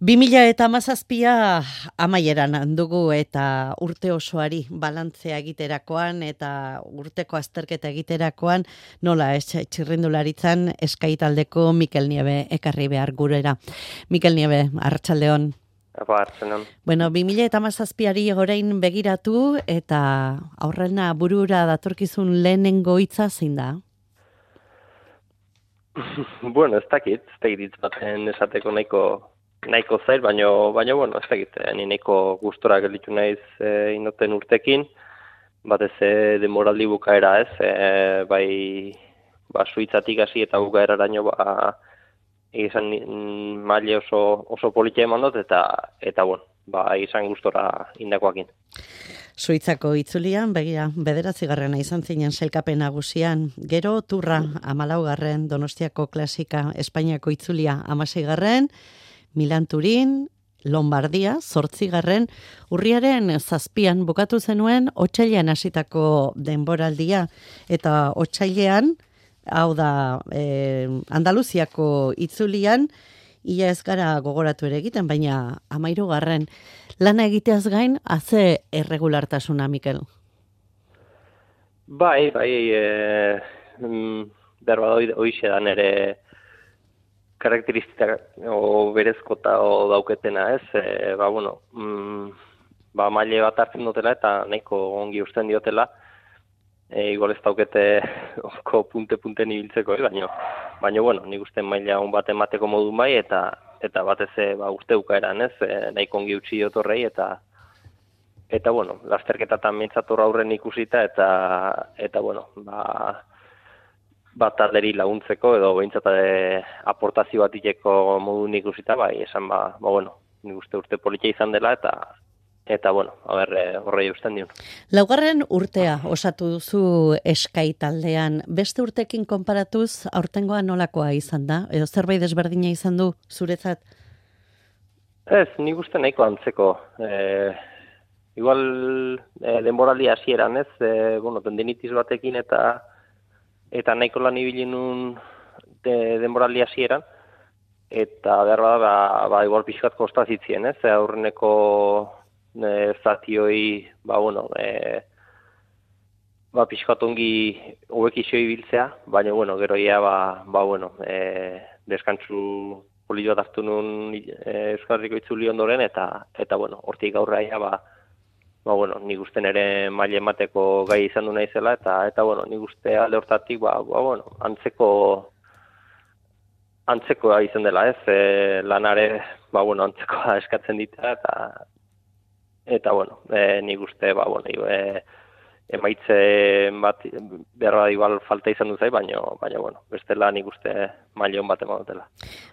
2017 amaieran dugu eta urte osoari balantzea egiterakoan eta urteko azterketa egiterakoan nola txirrindularitzan Sky taldeko Mikel Nieve ekarri behar gurera. Mikel Nieve, arratsaldeon. Bueno, 2017ari orain begiratu eta aurrena burura datorkizun lehenengo hitza zein da? Bueno, ez dakit hitz baten esateko nahiko zail, baina bueno, ez dakit, ni nahiko gustora gelditu naiz inoten urtekin, batez denboraldi bukaera ez, bai Suitzatik hasi eta bukaeraraino izan maile oso politia eman dut eta bueno, izan gustora indakoakin. Suitzako itzulian, begira, 9. izan zinen sailkapen nagusian, gero Turra 14. Donostiako klasika Espainiako itzulia 16. Milan Turin, Lombardia 8. Urriaren 7 bukatu zenuen otsailean hasitako denboraldia eta otsailean, hau da Andaluziako itzulian, ia ez gara gogoratu ere egiten, baina 13. Lana egiteaz gain, haze erregulartasuna, Mikel? Bai, berba hoixe da nere karakteristika berezkota dauketena, ez? Maile bat hartzen dutela eta nahiko ongi usten diotela. Igual ez daukete punte-punten ibiltzeko, baina bueno, nik uste maila on bat emateko modun bai, eta batez urte bukaeran, ez? Nahiko ongi utzi diotorrei eta bueno, lasterketatan mintzator aurren ikusita eta bueno, talderi laguntzeko edo behintzat aportazio bat iteko modun ikusita, esan bueno, nik uste urte politia izan dela eta bueno, horrei usten dion. 4. urtea osatu duzu Sky taldean. Beste urtekin konparatuz, aurtengoa nolakoa izan da? Edo zerbait desberdina izan du zuretzat? Ez, nik uste nahiko antzeko. Igual denboraldi hasieran, ez? Tendinitis batekin eta nahiko lan ibili nun denboraldi hasieran. Eta behar igual pixkat kostazitzien, ez? Aurreneko zatioi, pixkat ongi hobekixo ibiltzea, baina, gero ia, deskantzu poli bat hartu nun Euskal Herriko itzuli ondoren, eta hortik aurrea ia, nik usten ere maile emateko gai izan du naizela, eta nik uste alde hortatik, antzekoa izan dela, ez? Lanare, antzekoa eskatzen dita, eta nik uste, emaitze bat behar igual falta izan duzai, baina, bestela nik uste maile hon bat eman dutela.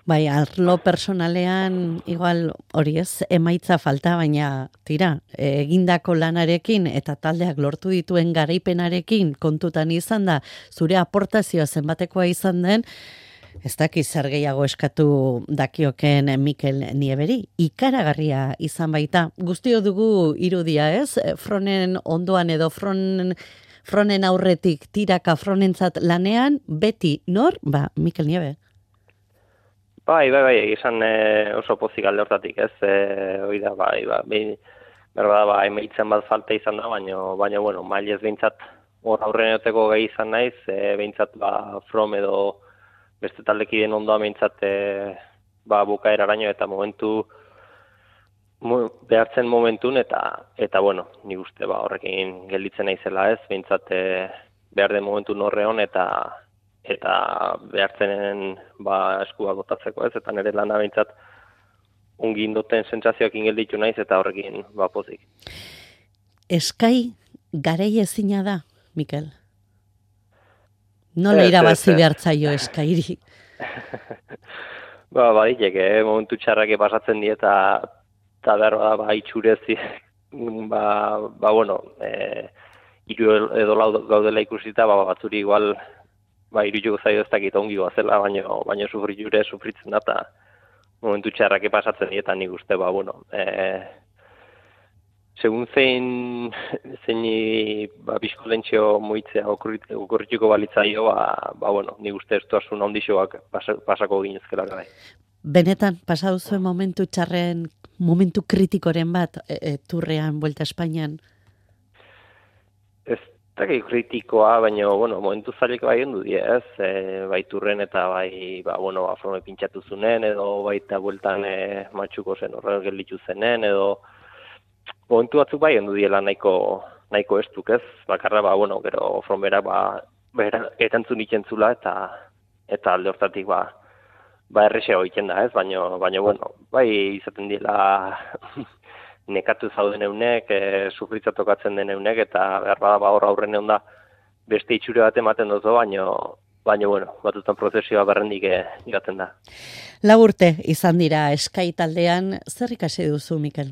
Bai, arlo personalean, igual hori ez, emaitza falta, baina tira, egindako lanarekin eta taldeak lortu dituen garaipenarekin kontutan izan da, zure aportazioa zenbatekoa izan den, ez dakiz zer gehiago eskatu dakioken Mikel Nieveri. Ikaragarria izan baita. Guztio dugu irudia, ez? Fronen ondoan edo fronen aurretik tiraka fronentzat lanean, beti nor? Mikel Nieve. Bai, izan oso pozik alde hortatik, ez? Oida, emaitzen bat falta izan da, baina, mailez behintzat hor aurren egoteko gai izan naiz, behintzat from edo beste taldekideen ondoa behintzat bukaeraraino eta behartzen momentun eta nik uste horrekin gelditzen naizela ez, behintzat behar den momentun horreon eta behartzenen eskua botatzeko ez, eta nire lana behintzat ongi indoten sentsazioekin gelditu naiz eta horrekin pozik. Sky garei ezina da, Mikel? Nola irabazi behartzaio Skyri? Baditek, momentu txarrake pasatzen die eta behar itxurezi, hiru edo lau gaudela ikusita, batzuri igual, hiru zaio ez dakit ongi goazela, baina sufritzen da, eta momentu txarrake pasatzen die, eta nik uste, segun zein bizkolentxio moitzea okurrituko balitzaio, nik uste ez duasun ondixoak pasako ginezkela gara. Benetan, pasatu zuen momentu txarren, momentu kritikoren bat, turrean, Vuelta a Espainian? Ez dakit kritikoa, baina, bueno, momentu zailik bai ondu die, ez? Bai turren eta bai, forme pintxatu zunen, edo baita bueltan matxuko zen horren gelditu zenen, edo momentu batzuk bai ondu diela nahiko estuk, ez? Bakarra, gero fromera, erantzun ikentzula, eta alde hortatik, errexeo egiten da, ez? Baina, bai izaten diela nekatu zauden eunek, sufritza tokatzen den eunek, eta behar bada hor aurren egon da beste itxure bat ematen dozo, baina, batutan prozesioa berrendik igaten da. 4 urte izan dira Sky taldean, zer ikasi duzu, Mikel?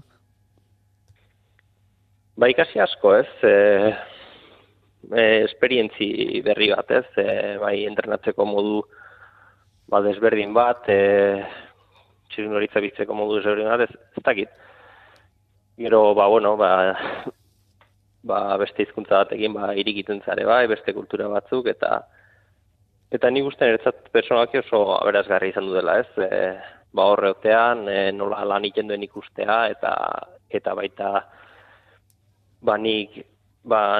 Ikasi asko, ez? Esperientzi berri bat, ez? Bai entrenatzeko modu desberdin bat, txirrindoritza biztzeko modu desberdin bat, ez dakit. Gero, beste hizkuntza batekin, irikiten zare bai, beste kultura batzuk, eta nik uste niretzat personalki oso aberasgarri izan du dela, ez? Horreotean, nola lan egiten duen ikustea, eta baita, nik,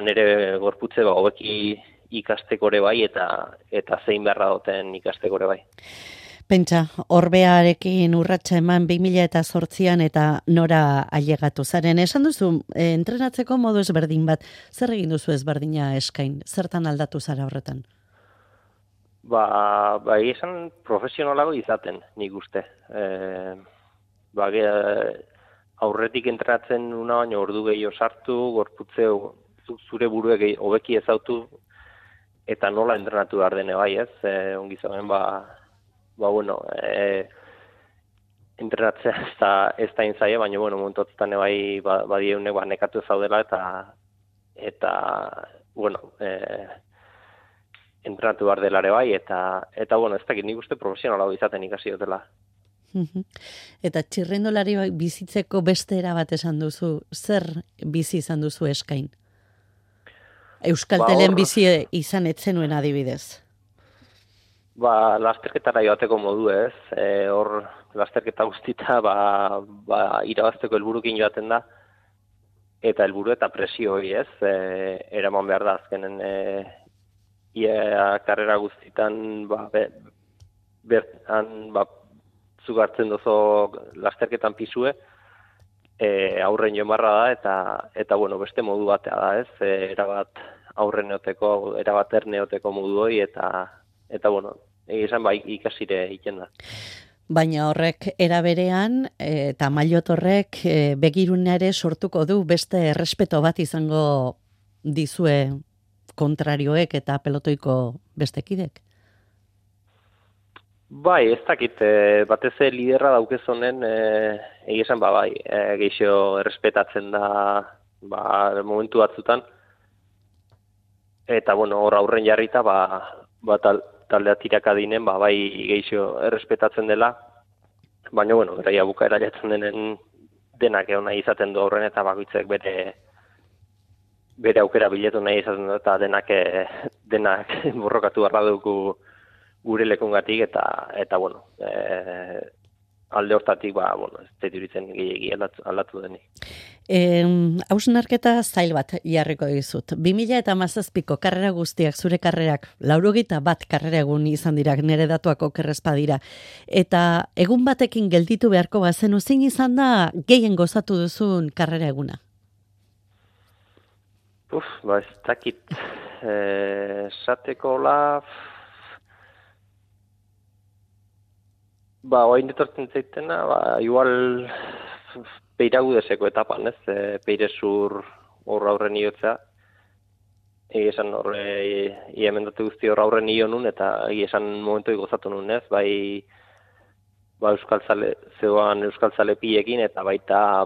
nire gorputze, hobeki ikastekore bai, eta zein beharra duten ikastekore bai. Pentsa, Orbearekin urratsa eman 2008an eta nora ailegatu zaren. Esan duzu, entrenatzeko modu ezberdin bat, zer egin duzu ezberdina eskain? Zertan aldatu zara horretan? Esan profesionalago izaten, nik uste. Aurretik entrenatzen una, baina ordu gehiago sartu, gorputze zure buruek hobeki ezautu, eta nola entrenatu behar dene bai, ez? Ongi zauen, entrenatzea ez da inzaia, baina, momentotzen bai badieunek nekatu zaudela, eta entrenatu behar delare bai, eta ez dakit nik uste profesionalago izaten ikasi dutela. Eta txirrindolari bizitzeko beste era bat esan duzu, zer bizi izan duzu eskain? Euskaltelen bizi izan etzenuen adibidez? Lasterketara joateko modu, ez? Hor lasterketa guztita irabazteko helburukin joaten da, eta helburu eta presio hori, ez? Eraman behar da azkenen karrera guztitan zugartzen dozo lasterketan pisue, aurren jomarra da, eta beste modu batea da, ez? Erabat aurren neoteko, erabat erneoteko modu hori, eta esan ikasire egiten da. Baina horrek eraberean, eta Maillot horrek begirunea ere sortuko du, beste errespeto bat izango dizue kontrarioek eta pelotoiko bestekidek? Ez dakit, batez liderra daukezonen, egizan geixo errespetatzen da momentu batzutan, eta hor aurren jarrita, taldea tiraka dinen, geixo errespetatzen dela, baina, eraia bukaera jatzen denen denak egon nahi izaten du aurren, eta bakoitzek bere aukera biletu nahi izaten du, eta denak borrokatu barra dugu gure lekungatik, eta alde hortatik, ez duritzen gehiagi aldatu denik. Hausnarketa zail bat jarriko dizut. 2017ko karrera guztiak, zure karrerak, 81 karrera egun izan dira, nire datuak okerrezpa dira. Eta egun batekin gelditu beharko bazenu, zein izan da gehien gozatu duzun karrera eguna? Ez dakit, esateko oain detortzen zaitena, igual Peiragudeseko etapan, ez? Peirezur horra aurren iotzea. Esan horre, iemendatu guzti horra aurren io nun, eta esan momentu gozatu nun, ez? Euskal Zale pilekin, eta baita,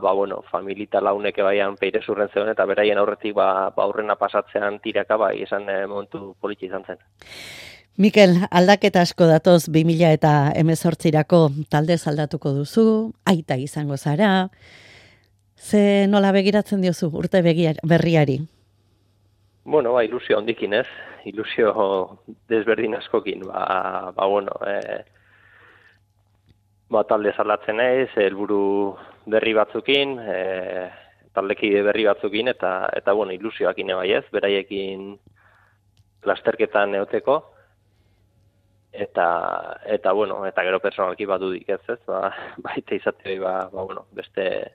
familita launeke baian Peirezurren zegoen, eta beraien aurretik aurrena pasatzean tiraka, esan momentu politxe izan zen. Mikel, aldaketa asko datoz 2018rako talde aldatuko duzu, aita izango zara. Ze nola begiratzen diozu urte berriari? Ilusio handikin, ez? Ilusio desberdin askokin. talde salatzen naiz, helburu berri batzukin, taldekide berri batzukin, eta bueno, ilusioakin bai ez, beraiekin lasterketan eoteko, eta bueno, eta gero personalki badudik ez, baita izate bueno, beste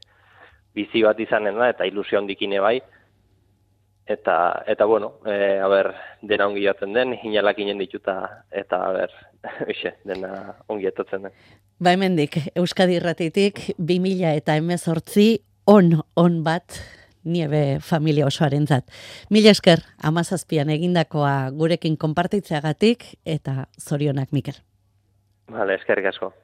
bizi bat izanen da, eta ilusio handikine bai, eta bueno, dena ongi jaten den, hinalak inen dituta, eta dena ongi etotzen den. Ba hemendik, Euskadi Irratitik 2018 on bat niebe familia osoarentzat. Mila esker, 17an egindakoa gurekin konpartitzeagatik, eta zorionak, Mikel. Vale, eskerrik asko.